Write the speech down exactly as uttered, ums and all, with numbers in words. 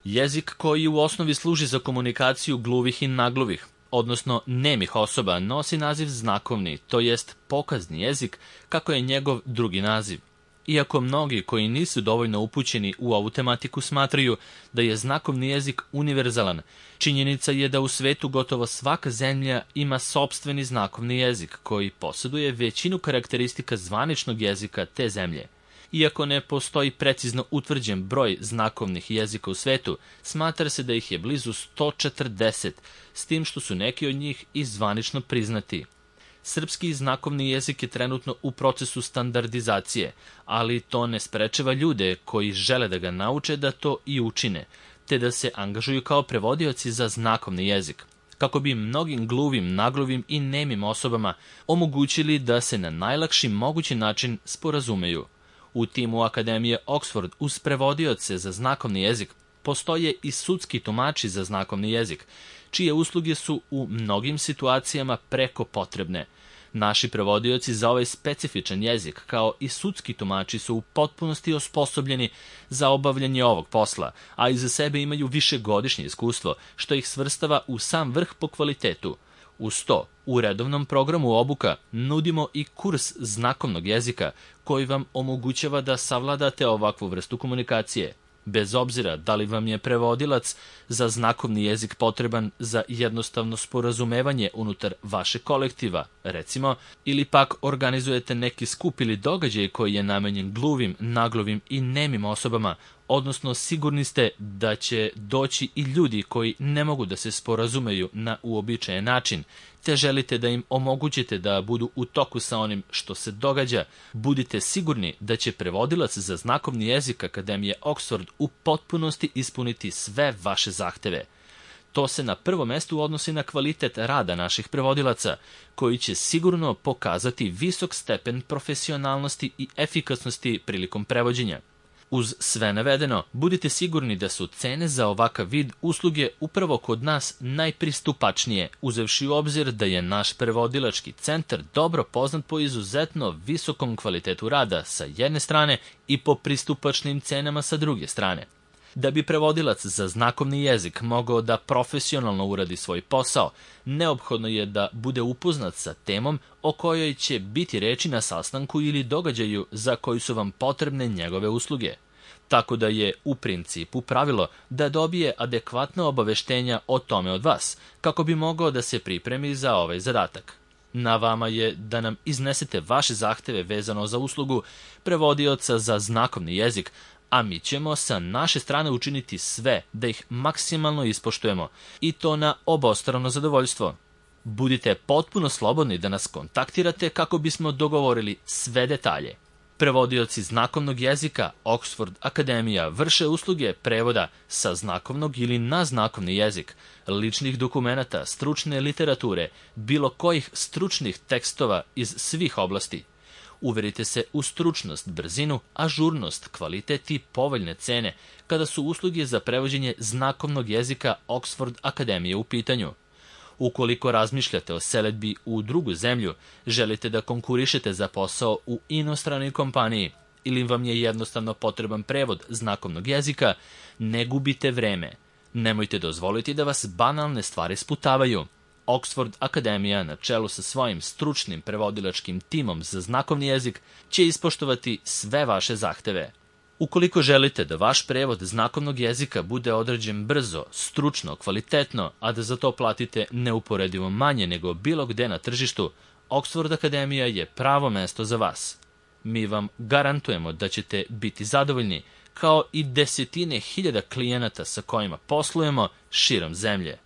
Jezik koji u osnovi služi za komunikaciju gluvih i nagluvih, odnosno nemih osoba, nosi naziv znakovni, to jest pokazni jezik, kako je njegov drugi naziv. Iako mnogi koji nisu dovoljno upućeni u ovu tematiku smatraju da je znakovni jezik univerzalan, činjenica je da u svetu gotovo svaka zemlja ima sopstveni znakovni jezik koji posjeduje većinu karakteristika zvaničnog jezika te zemlje. Iako ne postoji precizno utvrđen broj znakovnih jezika u svetu, smatra se da ih je blizu sto četrdeset, s tim što su neki od njih i zvanično priznati. Srpski znakovni jezik je trenutno u procesu standardizacije, ali to ne sprečava ljude koji žele da ga nauče da to i učine, te da se angažuju kao prevodioci za znakovni jezik, kako bi mnogim gluvim, nagluvim i nemim osobama omogućili da se na najlakši mogući način sporazumeju. U timu Akademije Oxford uz prevodioce za znakovni jezik postoje i sudski tumači za znakovni jezik, čije usluge su u mnogim situacijama preko potrebne. Naši prevodioci za ovaj specifičan jezik, kao i sudski tumači, su u potpunosti osposobljeni za obavljanje ovog posla, a iza sebe imaju višegodišnje iskustvo, što ih svrstava u sam vrh po kvalitetu. Uz to, u redovnom programu obuka nudimo i kurs znakovnog jezika koji vam omogućava da savladate ovakvu vrstu komunikacije. Bez obzira da li vam je prevodilac za znakovni jezik potreban za jednostavno sporazumevanje unutar vašeg kolektiva, recimo, ili pak organizujete neki skup ili događaj koji je namenjen gluvim, naglovim i nemim osobama, odnosno sigurni ste da će doći i ljudi koji ne mogu da se sporazumeju na uobičajen način, te želite da im omogućite da budu u toku sa onim što se događa, budite sigurni da će prevodilac za znakovni jezik Akademije Oxford u potpunosti ispuniti sve vaše zahteve. To se na prvo mesto odnosi na kvalitet rada naših prevodilaca, koji će sigurno pokazati visok stepen profesionalnosti i efikasnosti prilikom prevođenja. Uz sve navedeno, budite sigurni da su cene za ovakav vid usluge upravo kod nas najpristupačnije, uzevši u obzir da je naš prevodilački centar dobro poznat po izuzetno visokom kvalitetu rada sa jedne strane i po pristupačnim cenama sa druge strane. Da bi prevodilac za znakovni jezik mogao da profesionalno uradi svoj posao, neophodno je da bude upoznat sa temom o kojoj će biti reči na sastanku ili događaju za koji su vam potrebne njegove usluge. Tako da je u principu pravilo da dobije adekvatna obaveštenja o tome od vas, kako bi mogao da se pripremi za ovaj zadatak. Na vama je da nam iznesete vaše zahteve vezano za uslugu prevodioca za znakovni jezik, a mi ćemo sa naše strane učiniti sve da ih maksimalno ispoštujemo, i to na obostrano zadovoljstvo. Budite potpuno slobodni da nas kontaktirate kako bismo dogovorili sve detalje. Prevodioci znakovnog jezika Oxford Akademija vrše usluge prevoda sa znakovnog ili na znakovni jezik, ličnih dokumenata, stručne literature, bilo kojih stručnih tekstova iz svih oblasti. Uverite se u stručnost, brzinu, ažurnost, kvalitet i povoljne cene kada su usluge za prevođenje znakovnog jezika Oxford Akademije u pitanju. Ukoliko razmišljate o selidbi u drugu zemlju, želite da konkurišete za posao u inostranoj kompaniji ili vam je jednostavno potreban prevod znakovnog jezika, ne gubite vreme. Nemojte dozvoliti da vas banalne stvari sputavaju. Oxford Akademija na čelu sa svojim stručnim prevodilačkim timom za znakovni jezik će ispoštovati sve vaše zahteve. Ukoliko želite da vaš prevod znakovnog jezika bude odrađen brzo, stručno, kvalitetno, a da za to platite neuporedivo manje nego bilo gde na tržištu, Oxford Akademija je pravo mesto za vas. Mi vam garantujemo da ćete biti zadovoljni, kao i desetine hiljada klijenata sa kojima poslujemo širom zemlje.